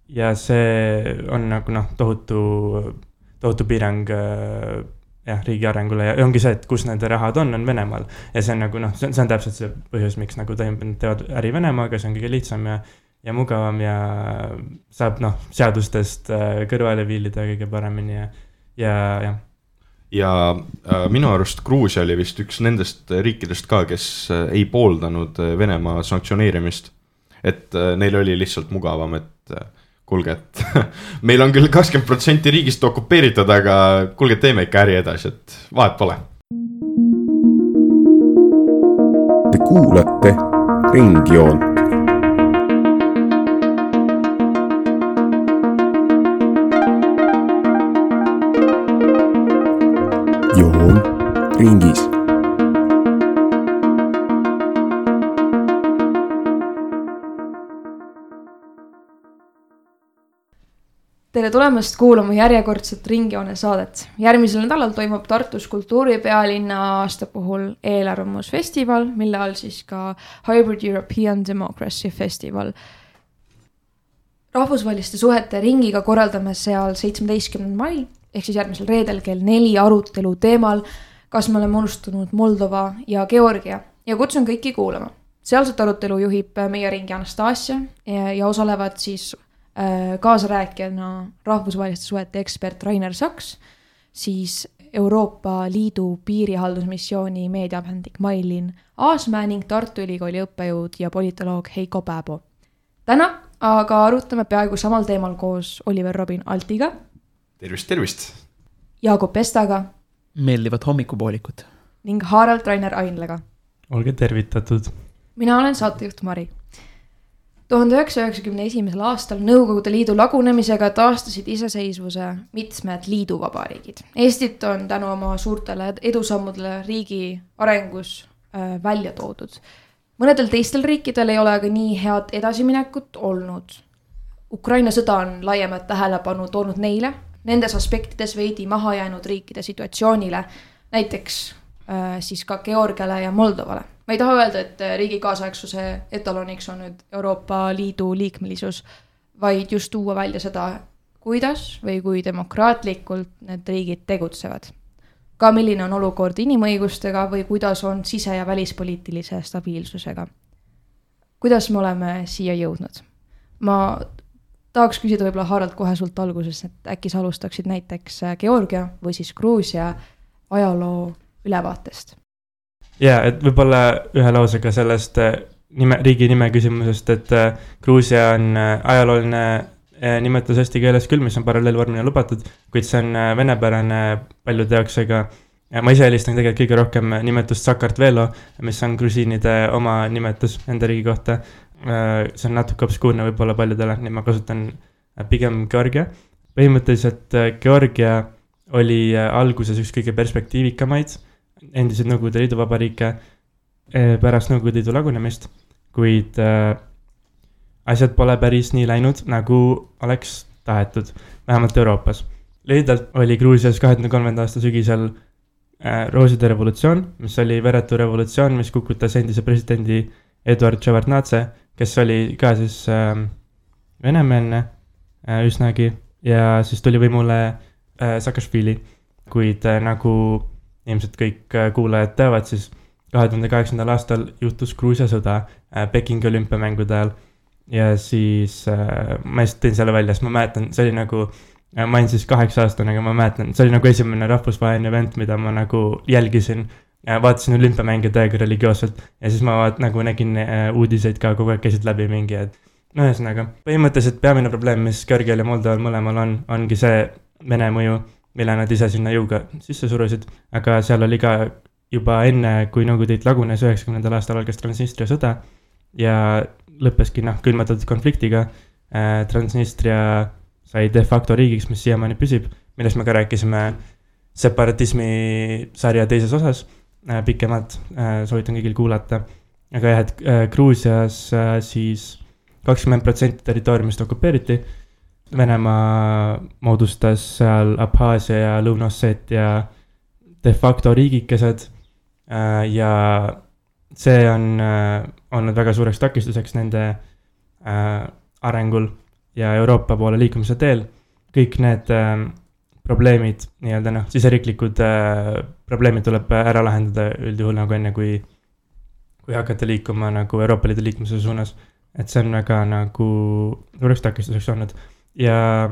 ja see on nagu tohutu piirang riigi arengule ja ongi see, et kus nende rahad on Venemaal ja see on nagu see on täpselt see põhjus, miks nagu teevad äri Venemaaga, see on kõige lihtsam ja mugavam ja saab seadustest kõrvale viilida kõige paremini ja minu arust Gruusia oli vist üks nendest riikidest ka, kes ei pooldanud Venemaa sanktsioneerimist, et neil oli lihtsalt mugavam, et kuulge, et meil on küll 20% riigist okupeeritud, aga kuulge, teeme ikka äri edasi, et vahet pole. Te kuulate Ringjoont. Joon ringis. Tere tulemast kuulama järjekordset Ringjoone saadet. Järgmisel nädalal toimub Tartus kultuuripealinna aasta puhul eelarvamusfestival, mille all siis ka Hybrid European Democracy Festival. Rahvusvaheliste suhete ringiga korraldame seal 17. mail, ehk siis järgmisel reedel kell 4 arutelu teemal, kas me oleme unustanud Moldova ja Georgia ja kutsun kõiki kuulama. Sealset arutelu juhib meie ringi Anastasia ja osalevad siis kaasarääkijana rahvusvaheliste suhete ekspert Rainer Saks, siis Euroopa Liidu piirihaldusmissiooni meediapähendik Mailin Aasmäe ning Tartu Ülikooli õppejõud ja politoloog Heiko Pääbo. Täna aga arutame peaaegu samal teemal koos Oliver Robin Altiga. Tervist! Jaakob Pestaga. Meeldivat hommikupoolikut. Ning Harald Rainer Ainlega. Olge tervitatud. Mina olen saatejuht Mari. 1991. aastal Nõukogude Liidu lagunemisega taastasid iseseisvuse mitmed liiduvabariigid. Eestit on tänu oma suurtele edusammudele riigi arengus välja toodud. Mõnedel teistel riikidel ei ole aga nii head edasiminekut olnud. Ukraina sõda on laiemat tähelepanu toonud neile, nendes aspektides veidi maha jäänud riikide situatsioonile, näiteks siis ka Georgiale ja Moldovale. Ma ei taha öelda, et riigi kaasaegsuse etaloniks on nüüd Euroopa Liidu liikmelisus, vaid just tuua välja seda, kuidas või kui demokraatlikult need riigid tegutsevad. Ka milline on olukord inimõigustega või kuidas on sise- ja välispoliitilise stabiilsusega. Kuidas me oleme siia jõudnud? Ma tahaks küsida võib-olla Harald kohe sult alguses, et äkki sa alustaksid näiteks Georgia või siis Gruusia ajaloo ülevaatest. Ja, et võib-olla ühe lausega sellest riigi nime küsimusest, et Gruusia on ajalooline nimetus eesti keeles küll, mis on paralleelvormina lubatud, kuid see on venepärane paljude jaoks, aga ma ise helistan tegelikult kõige rohkem nimetust Sakartvelo, mis on grusiinide oma nimetus enda riigi kohta. See on natuke obskuurne võib-olla paljudele, nii ma kasutan pigem Georgia. Põhimõtteliselt Georgia oli alguses üks kõige perspektiivikamaid endised Nõukogude Liidu vabariike pärast Nõukogude Liidu lagunemist, kuid asjad pole päris nii läinud, nagu oleks tahetud, vähemalt Euroopas. Lühidalt oli Gruusias 2003. aasta sügisel rooside revolutsioon, mis oli veretu revolutsioon, mis kukutas endise presidendi Eduard Ševartnadze, kes oli ka siis venemeelne üsnagi ja siis tuli võimule Saakašvili, kuid nagu ilmselt kõik kuulajad teavad, siis 2008. aastal juhtus Gruusia sõda Pekingi olümpiamängude ajal ja siis ma just tõin selle välja, sest ma mäletan, see oli nagu, ma olin siis 8-aastane, aga ma mäletan, see oli nagu esimene rahvusvaheline event, mida ma nagu jälgisin, vaatasin olümpiamänge täiega religioosselt ja siis ma nagu nägin uudiseid ka kogu aeg käisid läbi mingi, et no ühesõnaga, põhimõtteliselt peamine probleem, mis Georgial ja Moldoval mõlemal ongi see Vene mõju, mille nad ise sinna jõuga sisse surusid, aga seal oli ka juba enne, kui Nõukogude Liit lagunes 90. aastal algas Transnistria sõda ja lõppeski külmatatud konfliktiga. Transnistria sai de facto riigiks, mis siiamaani püsib, millest me ka rääkisime separatismi sarja teises osas pikemalt, soovitan kõigil kuulata. Aga jah, et Gruusias siis 20% territooriumist okupeeriti. Venemaa moodustas seal Abhaasia ja Lõuna-Osseetia de facto riigikesed ja see on olnud väga suureks takistuseks nende arengul ja Euroopa poole liikumise teel. Kõik need probleemid, nii-öelda siseriiklikud probleemid tuleb ära lahendada üldjuhul nagu enne, kui hakata liikuma nagu Euroopa Liidu liikumise suunas. Et see on väga nagu suureks takistuseks olnud. Ja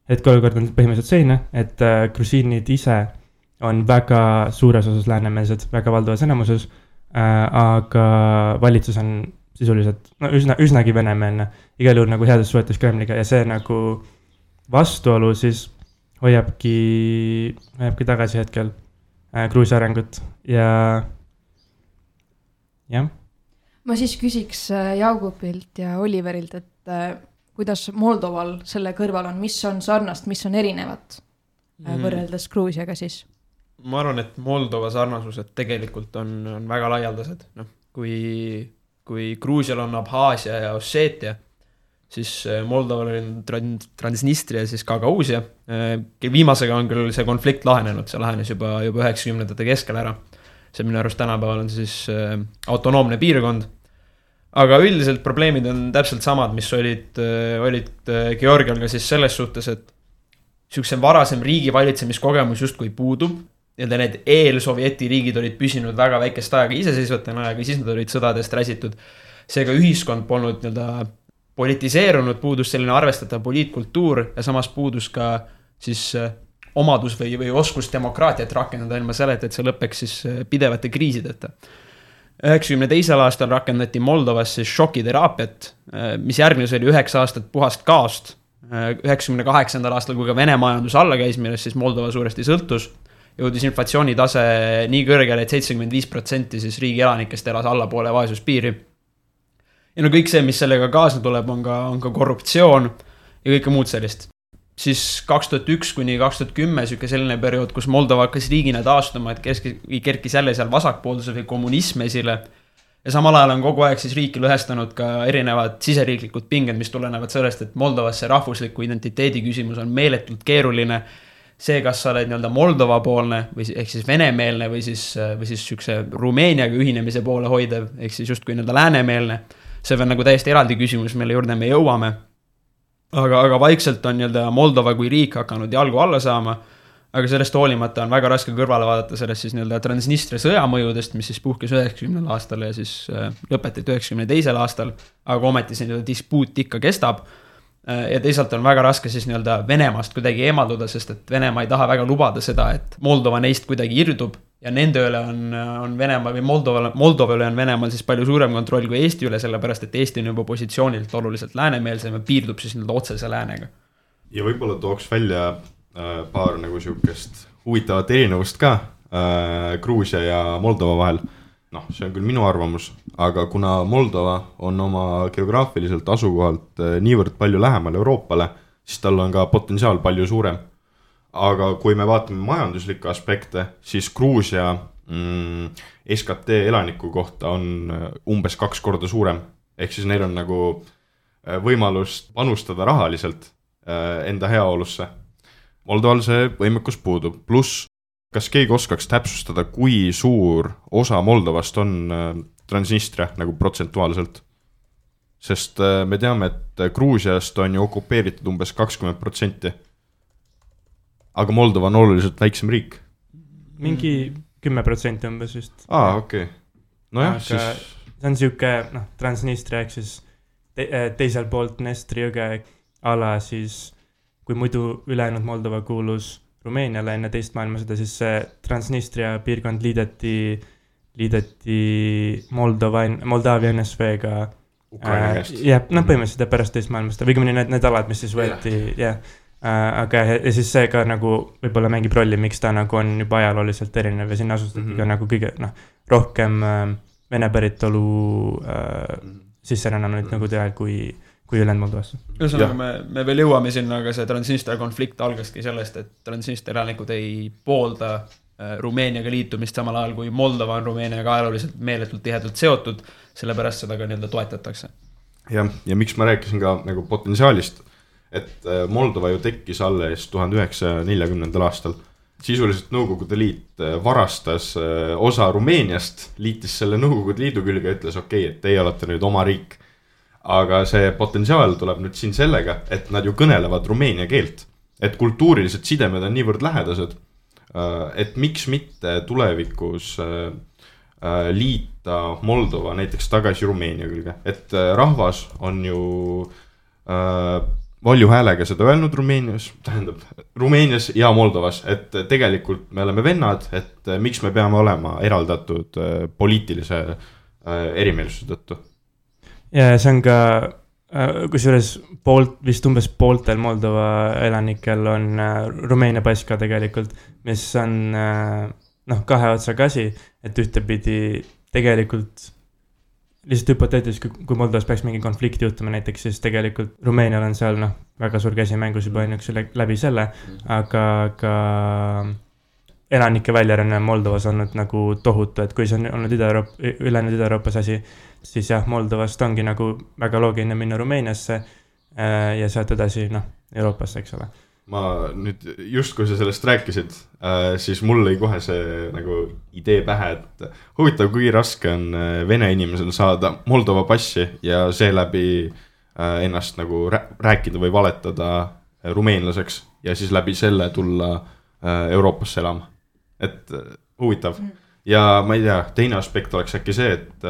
hetkeolukord on põhimõtteliselt selline, et grusiinid ise on väga suures osas läänemeelsed, väga valdavas enamuses, aga valitsus on sisuliselt üsnagi venemeelne, igal juhul nagu heades suhetes Kremliga ja see nagu vastuolu siis hoiabki tagasi hetkel Gruusia arengut ja jah. Ma siis küsiks Jaugupilt ja Oliverilt, et kuidas Moldoval selle kõrval on, mis on sarnast, mis on erinevat võrreldes Gruusiaga siis? Ma arvan, et Moldova sarnasused tegelikult on väga laialdased. Kui Gruusial on Abhaasia ja Osseetia, siis Moldoval on Transnistria ja siis Gagausia. Viimasega on küll see konflikt lahenenud, see lahenes juba 90ndate keskel ära. See minu arust tänapäeval on siis autonoomne piirkond. Aga üldiselt probleemid on täpselt samad, mis olid Georgial ka siis selles suhtes, et niisuguse varasem riigi valitsemiskogemus justkui puudub. Need eel-Sovieti riigid olid püsinud väga väikest aega iseseisvatena aega, siis nad olid sõdadest räsitud. Seega ühiskond polnud politiseerunud, puudus selline arvestatav poliitkultuur ja samas puudus ka siis omadus või oskus demokraatiat rakendada ilma selleta, et see lõpeks siis pidevate kriisideta. 92. aastal rakendati Moldovas siis šokiteraapiat, mis järgnes oli 9 aastat puhast kaost. 98. aastal, kui ka Vene majandus alla käis, millest siis Moldova suuresti sõltus, jõudis inflatsioonitase nii kõrgele, et 75% siis riigi elanikest elas allapoole vaesuspiiri. Ja kõik see, mis sellega kaasne tuleb, on ka korruptsioon ja kõike muud sellist. Siis 2001 kuni 2010 selline periood, kus Moldova hakkas riigina taastuma, et kerkis jälle seal vasakpoolduse või kommunism esile. Ja samal ajal on kogu aeg siis riiki lõhestanud ka erinevad siseriiklikud pinged, mis tulenevad sellest, et Moldovas see rahvusliku identiteedi küsimus on meeletult keeruline. See, kas sa oled Moldova poolne või ehk siis venemeelne või siis sükse Rumeeniaga ühinemise poole hoidev, ehk siis just kui läänemeelne. See on täiesti eraldi küsimus, mille juurde me jõuame. Aga vaikselt on Moldova kui riik hakanud jalgu alla saama, aga sellest hoolimata on väga raske kõrvale vaadata sellest siis Transnistria sõjamõjudest, mis siis puhkes 90. aastal ja siis lõpetati 92. aastal, aga ometi see dispuut ikka kestab. Ja teisalt on väga raske siis Venemaast kuidagi eemalduda, sest et Venemaa ei taha väga lubada seda, et Moldova neist kuidagi irdub ja nende üle on Venemaa või Moldova üle on Venemaal siis palju suurem kontroll kui Eesti üle, sellepärast et Eesti on juba positsioonilt oluliselt läänemeelsem ja piirdub siis otsese läänega. Ja võib-olla tooks välja paar siukest huvitavat erinevust ka Gruusia ja Moldova vahel. See on küll minu arvamus, aga kuna Moldova on oma geograafiliselt asukohalt niivõrd palju lähemal Euroopale, siis tal on ka potentsiaal palju suurem. Aga kui me vaatame majanduslikke aspekte, siis Gruusia SKT elaniku kohta on umbes 2 korda suurem. Ehk siis neil on võimalust panustada rahaliselt enda heaolusse. Moldoval see võimekus puudub, pluss kas keegi oskaks täpsustada, kui suur osa Moldovast on Transnistria protsentuaalselt? Sest me teame, et Gruusiast on ju okupeeritud umbes 20%. Aga Moldova on oluliselt väiksem riik. Mingi 10% umbes just. Okei. Nojah, siis... See on siuke, Transnistria, ehk siis teisel poolt Dnestri jõge ala siis, kui muidu ülejäänud Moldova kuulus Rumeeniale enne teist maailmasõda, siis see Transnistria piirkond liideti Moldaavia NSV-ga Ukraina käest. Põhimõtteliselt pärast teist maailmasõda, või need alad, mis siis võeti, aga ja siis see ka võib-olla mängib rolli, miks ta on juba ajalooliselt erinev ja sinna asustati ka kõige rohkem Vene päritolu sisserännanud ajal kui ülejäänud Moldovasse. Ühesõnaga me veel jõuame sinna, aga see Transnistria konflikt algaski sellest, et Transnistria elanikud ei poolda Rumeeniaga liitumist samal ajal, kui Moldova on Rumeeniaga ajalooliselt meeletult tihedalt seotud, sellepärast seda ka toetatakse. Ja miks ma rääkisin ka potentsiaalist, et Moldova ju tekkis alles 1940. aastal. Sisuliselt Nõukogude Liit varastas osa Rumeeniast, liitis selle Nõukogude Liidu külge ja ütles, okei, et teie olete nüüd oma riik. aga see potentsiaal tuleb nüüd siin sellega, et nad ju kõnelevad rumeenia keelt. Et kultuurilised sidemed on niivõrd lähedased, et miks mitte tulevikus liita Moldova näiteks tagasi Rumeenia külge. Et rahvas on ju valju häälega seda öelnud Rumeenias ja Moldovas, et tegelikult me oleme vennad, et miks me peame olema eraldatud poliitilise erimeelsuse tõttu. Ja see on ka, kusjuures vist umbes pooltel Moldova elanikel on Rumeenia pass ka tegelikult, mis on kahe otsaga asi, et ühtepidi tegelikult lihtsalt hüpoteetiliselt, kui Moldovas peaks mingi konflikti juhtuma näiteks, siis tegelikult Rumeenial on seal väga suur käsi mängus juba ainuks läbi selle, aga ka elanike väljaränne Moldovas on olnud nagu tohutu, et kui see on olnud ülejäänud Ida-Euroopas asi, siis jah, Moldovast ongi nagu väga loogiline minna Rumeeniasse ja sealt edasi Euroopasse, eks ole. Ma nüüd just kui sa sellest rääkisid, siis mul lõi kohe see nagu idee pähe, et huvitav, kui raske on vene inimesel saada Moldova passi ja seeläbi ennast nagu rääkida või valetada rumeenlaseks ja siis läbi selle tulla Euroopasse elama. Et huvitav. Ja ma ei tea, teine aspekt oleks äkki see, et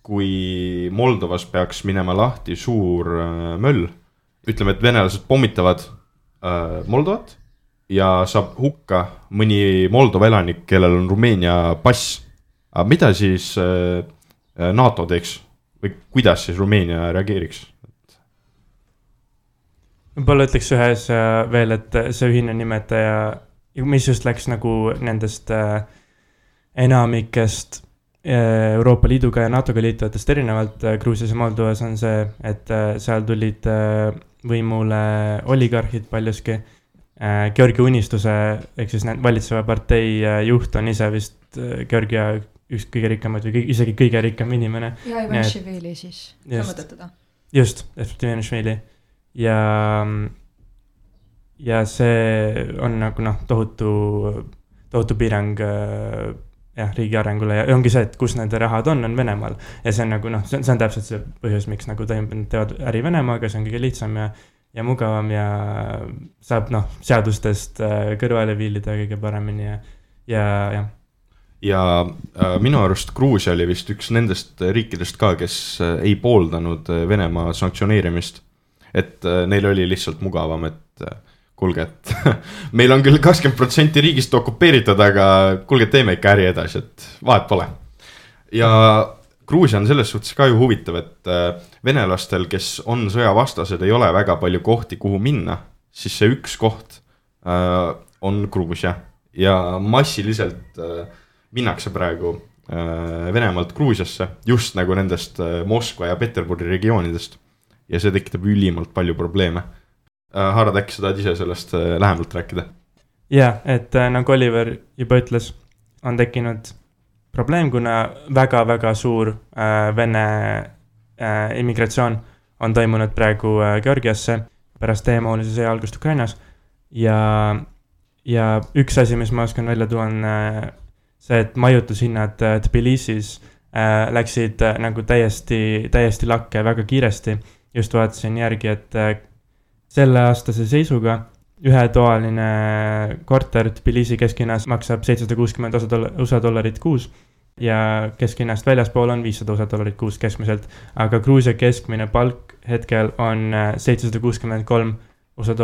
kui Moldovas peaks minema lahti suur möll, ütleme, et venelased pommitavad Moldovat ja saab hukka mõni Moldova elanik, kellel on Rumeenia pass. Aga mida siis NATO teeks või kuidas siis Rumeenia reageeriks? Võib-olla ütleks ühes veel, et see ühine nimetaja, mis just läks nagu nendest enamikest Euroopa Liiduga ja NATOga liituvatest erinevalt Gruusias ja Moldovas on see, et seal tulid võimule oligarhid paljuski. Georgia Unistuse, ehk siis valitseva partei juht on ise vist Georgia üks kõige rikkamad või isegi kõige rikkam inimene. Ja Ivanishvili siis, sa mõtled teda? Just, Ivanishvili. Ja see on nagu tohutu piirang riigi arengule ja ongi see, et kus nende rahad on Venemaal. Ja see on nagu, see on täpselt see põhjus, miks nagu teevad äri Venemaaga, see on kõige lihtsam ja mugavam ja saab seadustest kõrvale viilida kõige paremini ja minu arust Gruusia oli vist üks nendest riikidest ka, kes ei pooldanud Venemaa sanktsioneerimist, et neil oli lihtsalt mugavam, et kuulge, et meil on küll 20% riigist okupeeritud, aga kuulge, teeme ikka äri edasi, et vahet pole. Ja Gruusia on selles suhtes ka ju huvitav, et venelastel, kes on sõjavastased, ei ole väga palju kohti, kuhu minna, siis see üks koht on Gruusia ja massiliselt minnakse praegu Venemaalt Gruusiasse, just nagu nendest Moskva ja Peterburi regioonidest ja see tekitab ülimalt palju probleeme. Harad, äkki sa tahad ise sellest lähemalt rääkida? Ja, et nagu Oliver juba ütles, on tekkinud probleem, kuna väga-väga suur Vene immigratsioon on toimunud praegu Georgiasse pärast täiemahulise sõja algust Ukrainas ja üks asi, mis ma oskan välja tuua, on see, et majutushinnad Tbilisis läksid nagu täiesti lakke väga kiiresti. Just vaatasin järgi, et selle aastase seisuga ühetoaline korter Tbilisi kesklinnas maksab $760 USA kuus ja kesklinnast väljaspool on $500 kuus keskmiselt, aga Gruusia keskmine palk hetkel on $763 USA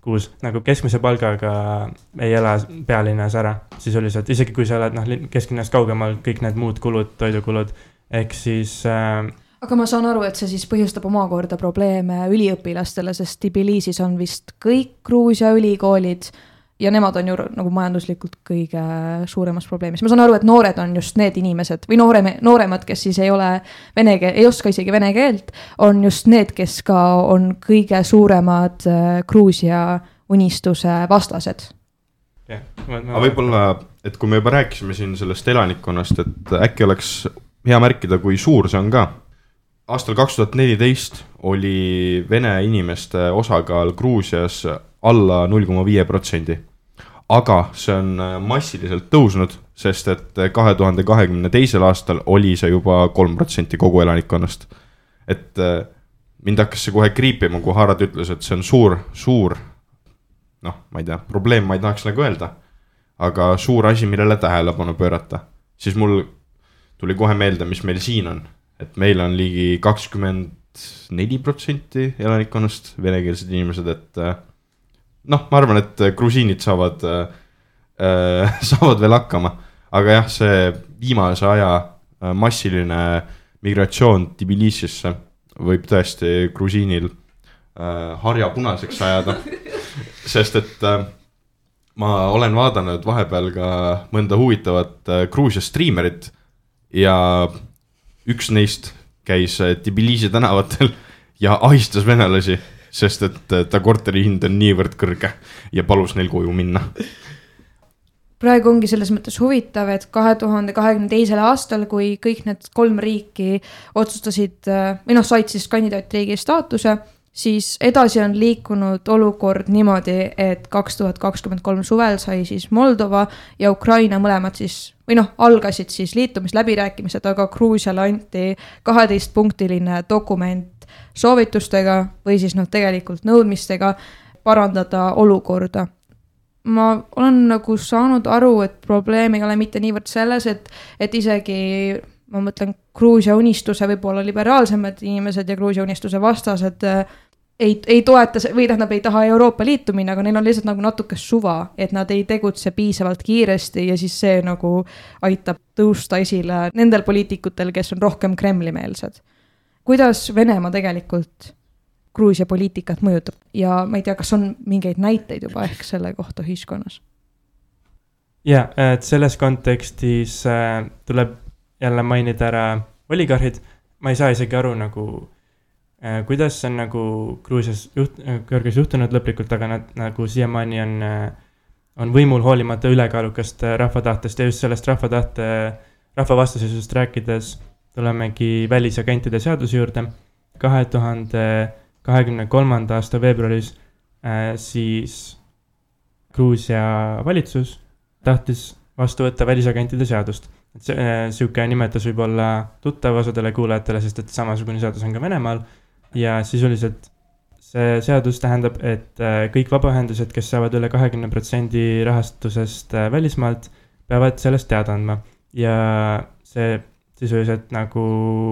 kuus. Nagu keskmise palgaga ei ela pealinnas ära sisuliselt, isegi kui sa oled kesklinnast kaugemal, kõik need muud kulud, toidukulud, ehk siis aga ma saan aru, et see siis põhjustab omakorda probleeme üliõpilastele, sest Tbilisis on vist kõik Gruusia ülikoolid ja nemad on ju nagu majanduslikult kõige suuremas probleemis. Ma saan aru, et noored on just need inimesed või nooremad, kes siis ei oska isegi vene keelt, on just need, kes ka on kõige suuremad Gruusia unistuse vastased. Aga võib-olla, et kui me juba rääkisime siin sellest elanikkonnast, et äkki oleks hea märkida, kui suur see on ka. Aastal 2014 oli vene inimeste osakaal Gruusias alla 0,5%. Aga see on massiliselt tõusnud, sest et 2022. aastal oli see juba 3% kogu elanikkonnast. et mind hakkas see kohe kriipima, kui Harald ütles, et see on suur, noh, ma ei tea, probleem ma ei tahaks nagu öelda, aga suur asi, millele tähelepanu pöörata. Siis mul tuli kohe meelde, mis meil siin on, et meil on ligi 24% elanikkonnast venekeelsed inimesed, et noh, ma arvan, et grusiinid saavad veel hakkama, aga jah, see viimase aja massiline migratsioon Tbilisisse võib tõesti grusiinil harja punaseks ajada, sest et ma olen vaadanud vahepeal ka mõnda huvitavat Gruusia striimerit ja üks neist käis Tbilisi tänavatel ja ahistas venelasi, sest et ta korteri hind on niivõrd kõrge ja palus neil koju minna. Praegu ongi selles mõttes huvitav, et 2022. aastal, kui kõik need 3 riiki otsustasid, või said siis kandidaatriigi staatuse, siis edasi on liikunud olukord niimoodi, et 2023 suvel sai siis Moldova ja Ukraina mõlemad siis, või algasid siis liitumisläbirääkimised, aga Gruusiale anti 12-punktiline dokument soovitustega või siis tegelikult nõudmistega parandada olukorda. Ma olen nagu saanud aru, et probleem ei ole mitte niivõrd selles, et isegi, ma mõtlen, Gruusia unistuse võib-olla liberaalsemad inimesed ja Gruusia unistuse vastased ei toeta või ei taha Euroopa Liitu minna, aga neil on lihtsalt nagu natuke suva, et nad ei tegutse piisavalt kiiresti ja siis see nagu aitab tõusta esile nendel poliitikutel, kes on rohkem Kremli-meelsed. Kuidas Venemaa tegelikult Gruusia poliitikat mõjutab ja ma ei tea, kas on mingeid näiteid juba ehk selle kohta ühiskonnas? Ja, et selles kontekstis tuleb jälle mainida ära oligarhid. Ma ei saa isegi aru nagu, kuidas see on nagu Gruusias kõrges juhtunud lõplikult, aga nad nagu siiamaani on võimul hoolimata ülekaalukast rahvatahtest ja just sellest rahvavastasusest rääkides tulemegi välisagentide seaduse juurde. 2023. aasta veebruaris siis Gruusia valitsus tahtis vastu võtta välisagentide seadust. Siuke nimetus võib olla tuttav osadele kuulajatele, sest et samasugune seadus on ka Venemaal ja sisuliselt see seadus tähendab, et kõik vabaühendused, kes saavad üle 20% rahastusest välismaalt, peavad sellest teada andma ja see sisuliselt nagu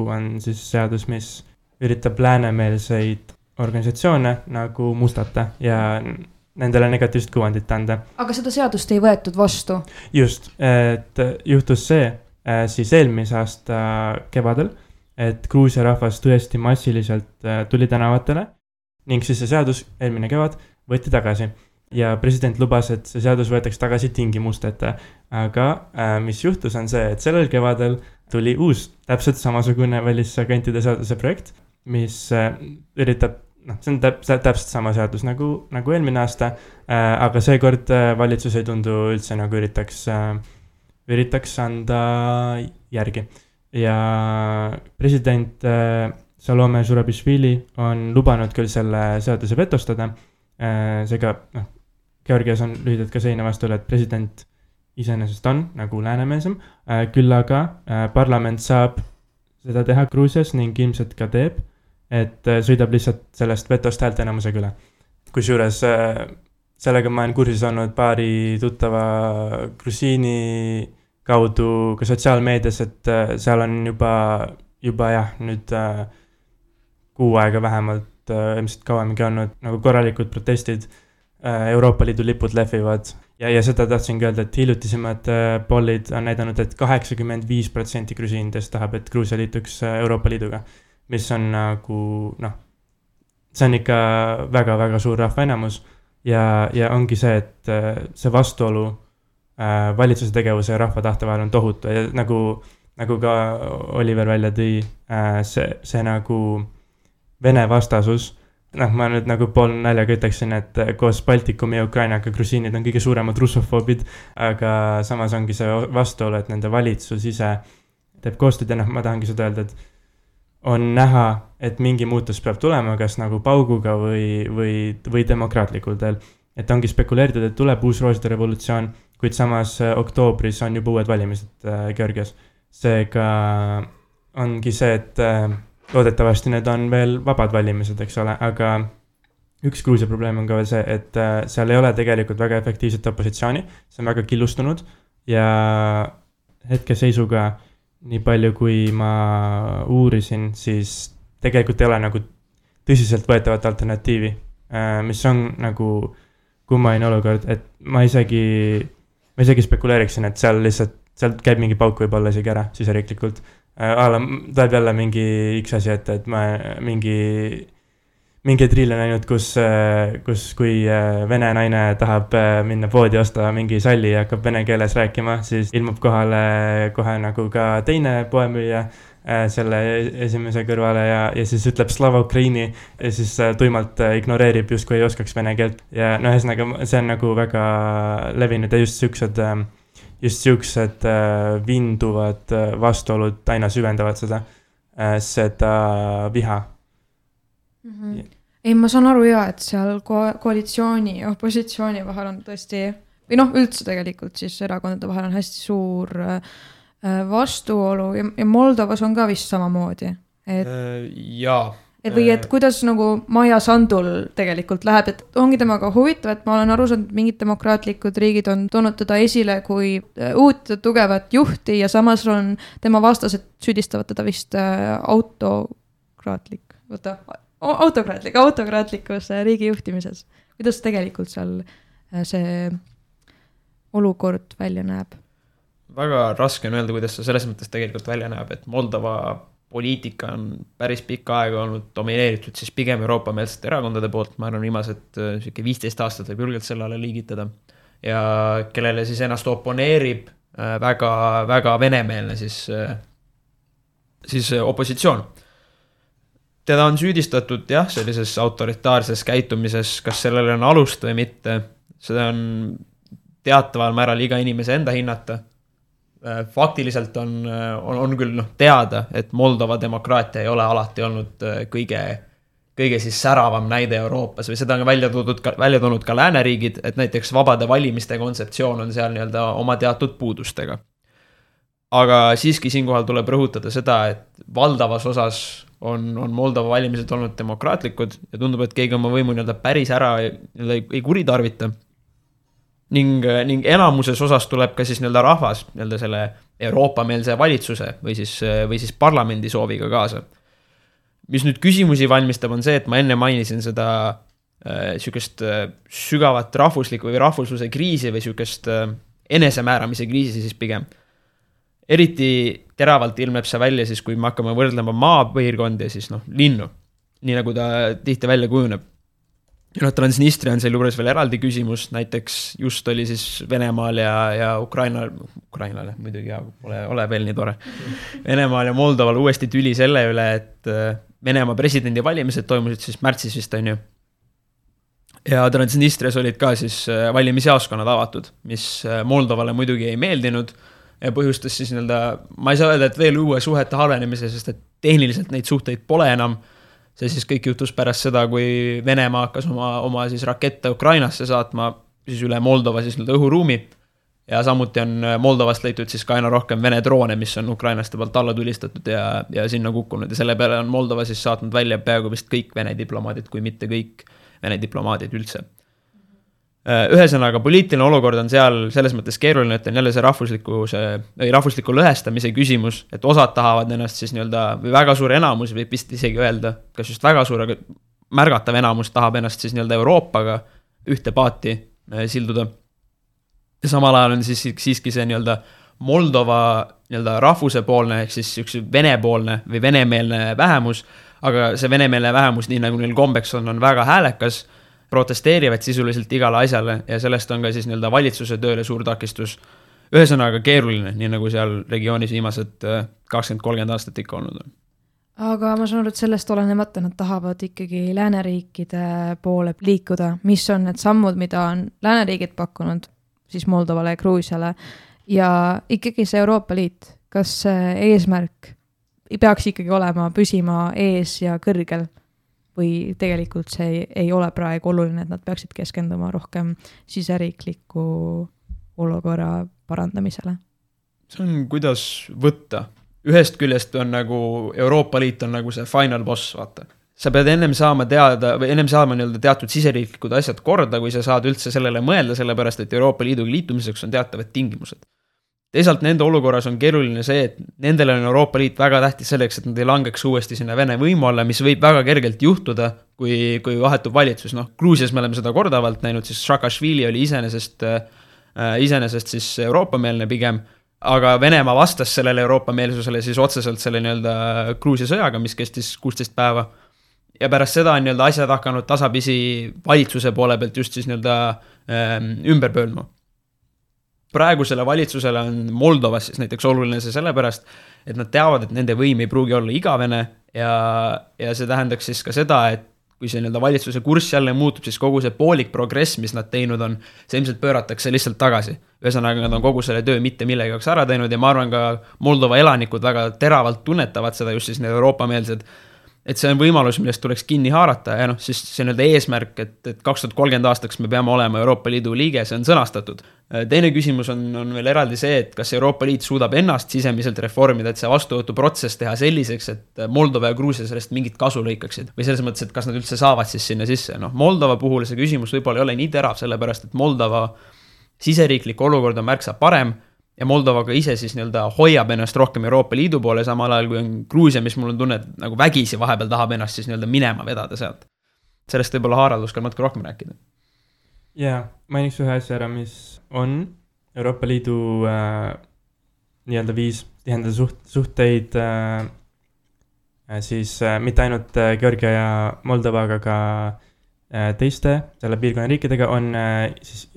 on siis seadus, mis üritab läänemeelseid organisatsioone nagu mustata ja nendele negatiivset kuvandit anda. Aga seda seadust ei võetud vastu? Just, et juhtus see siis eelmise aasta kevadel, et Gruusia rahvas tõesti massiliselt tuli tänavatele ning siis see seadus eelmine kevad võeti tagasi ja president lubas, et see seadus võetakse tagasi tingimusteta. Aga mis juhtus on see, et sellel kevadel tuli uus täpselt samasugune välisagentide seaduse projekt, mis üritab, see on täpselt sama seadus nagu eelmine aasta, aga seekord valitsus ei tundu üldse nagu üritaks anda järgi. Ja president Salome Zurabišvili on lubanud küll selle seaduse vetostada, seega Georgias on lühidalt ka seina vastule, et president iseenesest on nagu läänemeelsem, küll aga parlament saab seda teha Gruusias ning ilmselt ka teeb, et sõidab lihtsalt sellest vetost häälteenamusega üle. Kusjuures sellega ma olen kursis olnud paari tuttava grusiini kaudu ka sotsiaalmeedias, et seal on juba jah, nüüd kuu aega vähemalt, ilmselt kauemegi olnud nagu korralikud protestid, Euroopa Liidu lipud lehvivad ja seda tahtsingi öelda, et hiljutisemad pollid on näidanud, et 85% grusiinidest tahab, et Gruusia liituks Euroopa Liiduga, mis on nagu, see on ikka väga-väga suur rahvaenamus ja ongi see, et see vastuolu valitsuse tegevuse ja rahva tahte vahel on tohutu ja nagu ka Oliver välja tõi, see nagu Vene vastasus, ma nüüd nagu pool naljaga ütleksin, et koos Baltikumi ja Ukrainaga grusiinid on kõige suuremad russofoobid, aga samas ongi see vastuolu, et nende valitsus ise teeb koostööd ja ma tahangi seda öelda, et on näha, et mingi muutus peab tulema, kas nagu pauguga või demokraatlikul teel. Et ongi spekuleeritud, et tuleb uus rooside revolutsioon, kuid samas oktoobris on juba uued valimised Georgias. Seega ongi see, et loodetavasti need on veel vabad valimised, eks ole, aga üks Gruusia probleem on ka veel see, et seal ei ole tegelikult väga efektiivset opositsiooni, see on väga killustunud ja hetkeseisuga nii palju, kui ma uurisin, siis tegelikult ei ole nagu tõsiselt võetavat alternatiivi, mis on nagu kummaline olukord, et ma isegi spekuleeriksin, et seal käib mingi pauk võib olla isegi ära siseriiklikult. Tuleb jälle mingi üks asi, et ma mingi triile näinud, kus kui vene naine tahab minna poodi osta mingi salli ja hakkab vene keeles rääkima, siis ilmub kohale kohe nagu ka teine poemüüja selle esimese kõrvale ja siis ütleb Slava Ukraini ja siis tuimalt ignoreerib justkui ei oskaks vene keelt. Ja no ühesõnaga, see on nagu väga levinud ja just siuksed vinduvad vastuolud aina süvendavad seda viha. Ei, ma saan aru et seal koalitsiooni ja opositsiooni vahel on tõesti, või üldse tegelikult siis erakondade vahel on hästi suur vastuolu ja Moldovas on ka vist samamoodi. Või kuidas nagu Maia Sandul tegelikult läheb, et ongi temaga huvitav, et ma olen aru saanud, et mingid demokraatlikud riigid on toonud teda esile kui uut tugevat juhti ja samas on tema vastased süüdistavad teda vist autokraatlikus riigi juhtimises. Kuidas tegelikult seal see olukord välja näeb? Väga raske on öelda, kuidas see selles mõttes tegelikult välja näeb, et Moldova poliitika on päris pikka aega olnud domineeritud siis pigem Euroopa-meelsete erakondade poolt, ma arvan viimased 15 aastat võib julgelt selle alla liigitada ja kellele siis ennast oponeerib väga, väga venemeelne siis opositsioon. Teda on süüdistatud sellises autoritaarses käitumises, kas sellele on alust või mitte, seda on teataval määral iga inimese enda hinnata. Faktiliselt on küll teada, et Moldova demokraatia ei ole alati olnud kõige siis säravam näide Euroopas või seda on välja toonud ka lääneriigid, et näiteks vabade valimiste kontseptsioon on seal nii-öelda oma teatud puudustega. Aga siiski siinkohal tuleb rõhutada seda, et valdavas osas on Moldova valimised olnud demokraatlikud ja tundub, et keegi oma võimu nii-öelda päris ära ei kuritarvita. Ning enamuses osas tuleb ka siis nii-öelda rahvas nii-öelda selle Euroopa-meelse valitsuse või siis parlamendi sooviga kaasa. Mis nüüd küsimusi valmistab on see, et ma enne mainisin seda sükest sügavat rahvuslikku või rahvusluse kriisi või sükest enesemääramise kriisi siis pigem. Eriti teravalt ilmneb see välja siis, kui me hakkame võrdlema maapiirkondi ja siis linnu, nii nagu ta tihti välja kujuneb. Ja Transnistria on seal juures veel eraldi küsimus, näiteks just oli siis Venemaal ja Ukrainale, muidugi ole veel nii tore. Venemaal ja Moldoval uuesti tüli selle üle, et Venemaa presidendi valimised toimusid siis märtsis vist on ju. Ja Transnistrias olid ka siis valimisjaoskonnad avatud, mis Moldovale muidugi ei meeldinud ja põhjustas siis ma ei saa öelda, et veel uue suhete halvenemise, sest et tehniliselt neid suhteid pole enam. See siis kõik juhtus pärast seda, kui Venemaa hakkas oma siis rakette Ukrainasse saatma siis üle Moldova siis õhuruumi ja samuti on Moldovast leitud siis ka aina rohkem Vene droone, mis on ukrainaste poolt alla tulistatud ja sinna kukkunud ja selle peale on Moldova siis saatnud välja peaaegu vist kõik Vene diplomaadid, kui mitte kõik Vene diplomaadid üldse. Ühesõnaga, poliitiline olukord on seal selles mõttes keeruline, et on jälle see rahvusliku lõhestamise küsimus, et osad tahavad ennast siis nii-öelda, või väga suur enamus võib vist isegi öelda, kas just väga suur, aga märgatav enamus tahab ennast siis nii-öelda Euroopaga ühte paati silduda. Ja samal ajal on siis siiski see nii-öelda Moldova nii-öelda rahvusepoolne, ehk siis üks venepoolne või venemeelne vähemus, aga see venemeelne vähemus, nii nagu neil kombeks on väga häälekas, protesteerivad sisuliselt igale asjale ja sellest on ka siis nii-öelda valitsuse tööle suur takistus. Ühesõnaga keeruline, nii nagu seal regioonis viimased 20-30 aastat ikka olnud on. Aga ma saan aru, et sellest olenemata nad tahavad ikkagi lääneriikide poole liikuda. Mis on need sammud, mida on lääneriigid pakkunud siis Moldovale ja Gruusiale ja ikkagi see Euroopa Liit, kas eesmärk peaks ikkagi olema püsima ees ja kõrgel? Või tegelikult see ei ole praegu oluline, et nad peaksid keskenduma rohkem siseriikliku olukorra parandamisele? See on kuidas võtta. ühest küljest on nagu Euroopa Liit on nagu see final boss, vaata. Sa pead ennem saama teada või ennem saama nii-öelda teatud siseriiklikud asjad korda, kui sa saad üldse sellele mõelda, sellepärast et Euroopa Liiduga liitumiseks on teatavad tingimused. Teisalt nende olukorras on keeruline see, et nendele on Euroopa Liit väga tähtis selleks, et nad ei langeks uuesti sinna Vene võimu alla, mis võib väga kergelt juhtuda, kui vahetub valitsus. Noh, Gruusias me oleme seda kordavalt näinud, siis Saakašvili oli iseenesest siis Euroopa-meelne pigem, aga Venemaa vastas sellele Euroopa-meelsusele siis otseselt selle nii-öelda Gruusia sõjaga, mis kestis 16 päeva. Ja pärast seda on nii-öelda asjad hakanud tasapisi valitsuse poole pealt just siis nii-öelda ümber pööldma. Praegusele valitsusele on Moldovas siis näiteks oluline see sellepärast, et nad teavad, et nende võim ei pruugi olla igavene ja see tähendaks siis ka seda, et kui see nii-öelda valitsuse kurss jälle muutub, siis kogu see poolik progress, mis nad teinud on, see ilmselt pööratakse lihtsalt tagasi. Ühesõnaga, nad on kogu selle töö mitte millegi jaoks ära teinud ja ma arvan ka Moldova elanikud väga teravalt tunnetavad seda just siis need Euroopa-meelsed, et see on võimalus, millest tuleks kinni haarata ja siis see on eesmärk, et 2030 aastaks me peame olema Euroopa Liidu liige, see on sõnastatud. Teine küsimus on veel eraldi see, et kas Euroopa Liit suudab ennast sisemiselt reformida, et see vastuvõtuprotsess teha selliseks, et Moldova ja Gruusia sellest mingit kasu lõikaksid. Või selles mõttes, et kas nad üldse saavad siis sinna sisse. Moldova puhul see küsimus võib-olla ei ole nii terav, sellepärast et Moldova siseriiklik olukord on märksa parem ja Moldova ka ise siis nii-öelda hoiab ennast rohkem Euroopa Liidu poole, samal ajal kui on Gruusia, mis mul on tunne, et nagu vägisi vahepeal tahab ennast siis nii-öelda minema vedada sealt. Sellest võib-olla Harald oskab natuke rohkem rääkida. Jaa, mainiks ühe asja ära, mis on Euroopa Liidu nii-öelda viis tihendada suhteid siis mitte ainult Georgia ja Moldovaga, ka teiste selle piirkonna riikidega on siis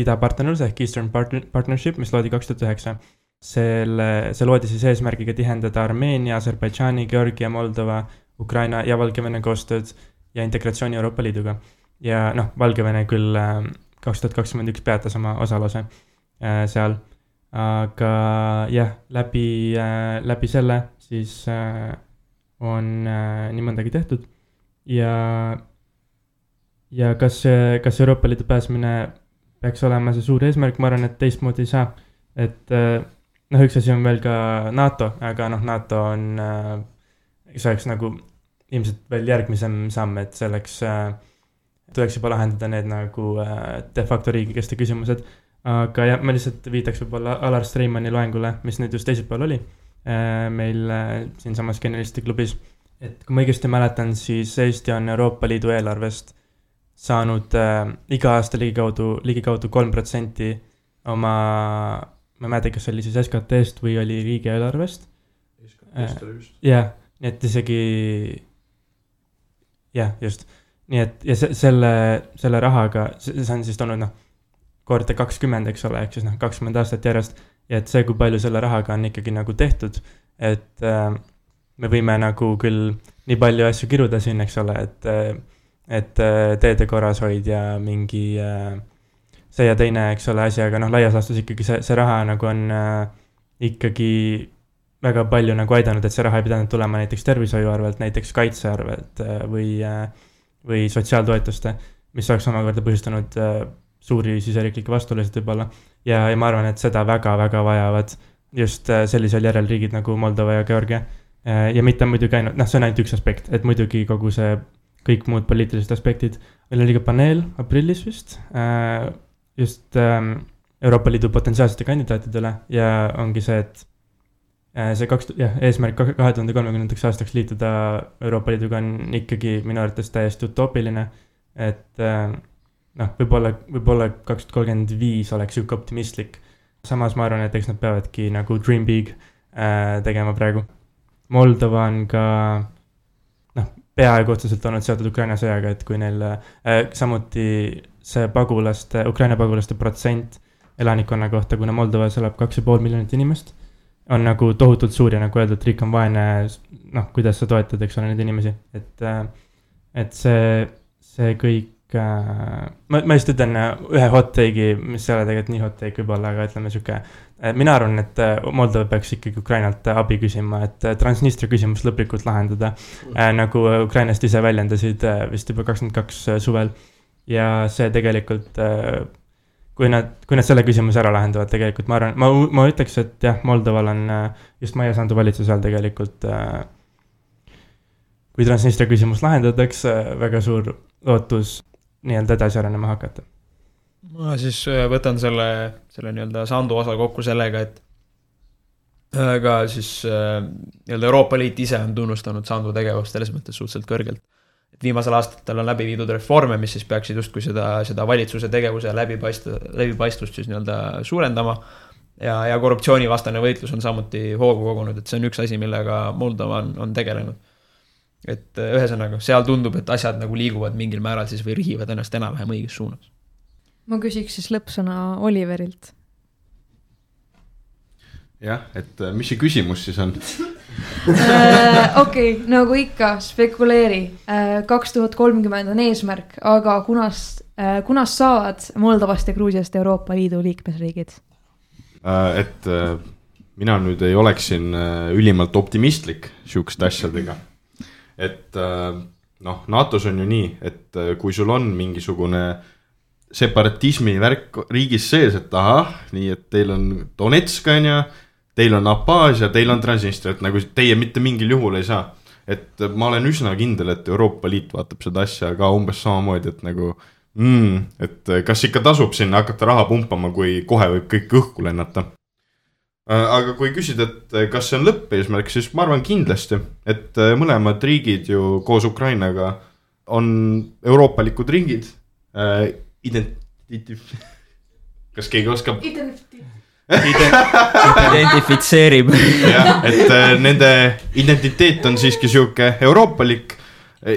idapartnerlus ehk Eastern Partnership, mis loodi 2009. See loodi siis eesmärgiga tihendada Armeenia, Aserbaidžaani, Georgia, Moldova, Ukraina ja Valgevene koostööd ja integratsiooni Euroopa Liiduga. Ja Valgevene küll 2021 peatas oma osaluse seal, aga jah, läbi selle siis on nii mõndagi tehtud ja kas Euroopa Liidu pääsmine peaks olema see suur eesmärk, ma arvan, et teistmoodi ei saa. Et üks asi on veel ka NATO, aga NATO on, see oleks nagu ilmselt veel järgmisem samm, et selleks tuleks juba lahendada need nagu de facto riigikeste küsimused. Aga jah, ma lihtsalt viitaks võib-olla Alar Streimanni loengule, mis nüüd just teisipäeval oli meil siin samas Generalisti klubis. Et kui ma õigesti mäletan, siis Eesti on Euroopa Liidu eelarvest saanud iga aasta ligikaudu 3% oma, ma määda, kas oli siis SKT-st või oli riigieelarvest. SKT-st oli just. Jah, nii et isegi, jah, just. Nii et ja selle rahaga, see on siis toonud korda 20, eks ole, ehk siis 20 aastat järjest. Ja et see, kui palju selle rahaga on ikkagi nagu tehtud, et me võime nagu küll nii palju asju kiruda siin, eks ole, et teede korrashoid ja mingi see ja teine, eks ole, asi, aga laias laastus ikkagi see raha nagu on ikkagi väga palju nagu aidanud, et see raha ei pidanud tulema näiteks tervishoiu arvelt, näiteks kaitse arvelt või sotsiaaltoetuste, mis oleks omakorda põhjustanud suuri siseriiklikke vastuolusid võib-olla. Ja ma arvan, et seda väga-väga vajavad just sellisel järel riigid nagu Moldova ja Georgia. Ja mitte muidugi ainult, see on ainult üks aspekt, et muidugi kogu see kõik muud poliitilised aspektid. Meil oli ka paneel aprillis vist, just Euroopa Liidu potentsiaalsete kandidaatidele ja ongi see, et see eesmärk 2030 aastaks liituda Euroopa Liiduga on ikkagi minu arvates täiesti utoopiline, et võib-olla 2035 oleks siuke optimistlik. Samas ma arvan, et eks nad peavadki nagu dream big tegema praegu. Moldova on ka peaaegu otseselt olnud seotud Ukraina sõjaga, et kui neil samuti see Ukraina pagulaste protsent elanikkonna kohta, kuna Moldovas elab 2,5 miljonit inimest, on nagu tohutult suur ja nagu öeldud, riik on vaene, kuidas sa toetad, eks ole, neid inimesi. Et see kõik, ma just ütlen ühe hot take'i, mis ei ole tegelikult nii hot take võib-olla, aga ütleme siuke, mina arvan, et Moldova peaks ikkagi Ukrainalt abi küsima, et Transnistria küsimus lõplikult lahendada, nagu Ukrainast ise väljendasid vist juba 22 suvel. Ja see tegelikult, kui nad selle küsimuse ära lahendavad tegelikult, ma arvan, ma ütleks, et jah, Moldoval on just Maia Sandu valitsuse all tegelikult, kui Transnistria küsimus lahendatakse, väga suur lootus nii-öelda edasi arenema hakata. Ma siis võtan selle nii-öelda Sandu osa kokku sellega, et aga siis nii-öelda Euroopa Liit ise on tunnustanud Sandu tegevust selles mõttes suhteliselt kõrgelt. Et viimasel aastatel on läbi viidud reforme, mis siis peaksid justkui seda valitsuse tegevuse läbipaistvust siis nii-öelda suurendama ja korruptsioonivastane võitlus on samuti hoogu kogunud, et see on üks asi, millega Moldova on tegelenud. Et ühesõnaga, seal tundub, et asjad nagu liiguvad mingil määral siis või rihivad ennast enam-vähem õiges suunas. Ma küsiks siis lõppsõna Oliverilt. Jah, et mis see küsimus siis on? Okei, nagu ikka, spekuleeri. 2030 on eesmärk, aga kunas saavad Moldovast ja Gruusiast Euroopa Liidu liikmesriigid? Et mina nüüd ei oleks siin ülimalt optimistlik siukeste asjadega. Et NATOs on ju nii, et kui sul on mingisugune separatismi värk riigis sees, et nii et teil on Donetsk on ja teil on Abhaasia, teil on Transnistria, et nagu teie mitte mingil juhul ei saa. Et ma olen üsna kindel, et Euroopa Liit vaatab seda asja ka umbes samamoodi, et nagu et kas ikka tasub sinna hakata raha pumpama, kui kohe võib kõik õhku lennata. Aga kui küsida, et kas see on lõppeesmärk, siis ma arvan kindlasti, et mõlemad riigid ju koos Ukrainaga on euroopalikud riigid. Kas keegi oskab? Identifitseerib. Jah, et nende identiteet on siiski siuke euroopalik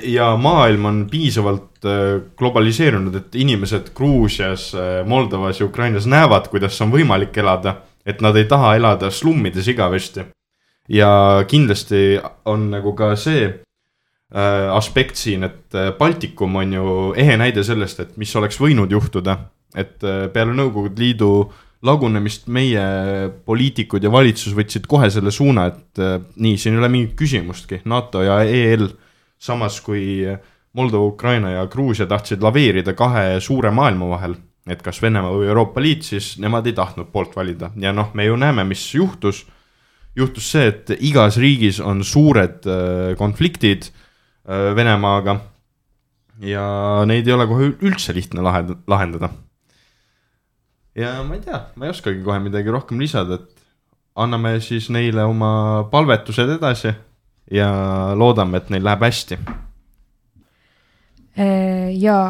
ja maailm on piisavalt globaliseerunud, et inimesed Gruusias, Moldovas ja Ukrainas näevad, kuidas on võimalik elada, et nad ei taha elada slummides igavesti. Ja kindlasti on nagu ka see aspekt siin, et Baltikum on ju ehe näide sellest, et mis oleks võinud juhtuda, et peale Nõukogude Liidu lagunemist meie poliitikud ja valitsus võtsid kohe selle suuna, et nii, siin ei ole mingit küsimustki, NATO ja EL, samas kui Moldova, Ukraina ja Gruusia tahtsid laveerida kahe suure maailma vahel, et kas Venemaa või Euroopa Liit, siis nemad ei tahtnud poolt valida. Ja me ju näeme, mis juhtus see, et igas riigis on suured konfliktid Venemaaga ja neid ei ole kohe üldse lihtne lahendada. Ja ma ei tea, ma ei oskagi kohe midagi rohkem lisada, et anname siis neile oma palvetused edasi ja loodame, et neil läheb hästi. Jaa,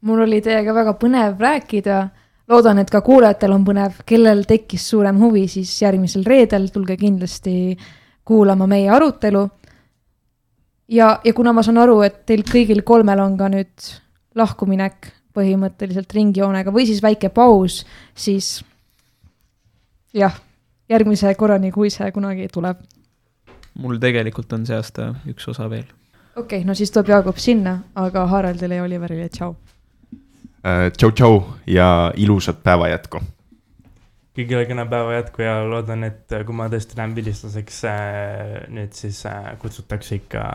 mul oli teiega väga põnev rääkida. Loodan, et ka kuulajatel on põnev, kellel tekkis suurem huvi, siis järgmisel reedel tulge kindlasti kuulama meie arutelu. Ja kuna ma saan aru, et teil kõigil kolmel on ka nüüd lahkuminek põhimõtteliselt ringjoonega või siis väike paus, siis jah, järgmise korrani, kui see kunagi tuleb. Mul tegelikult on see aasta üks osa veel. Okei, no siis tuleb Jaagup sinna, aga Haraldile ja Oliverile tšau. Tšau ja ilusat päeva jätku. Kõigile kena päeva jätku ja loodan, et kui ma tõesti lähen vilistlaseks, nüüd siis kutsutakse ikka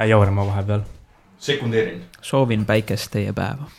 jaurama vahepeal. Sekundeerin. Soovin päikest teie päeva.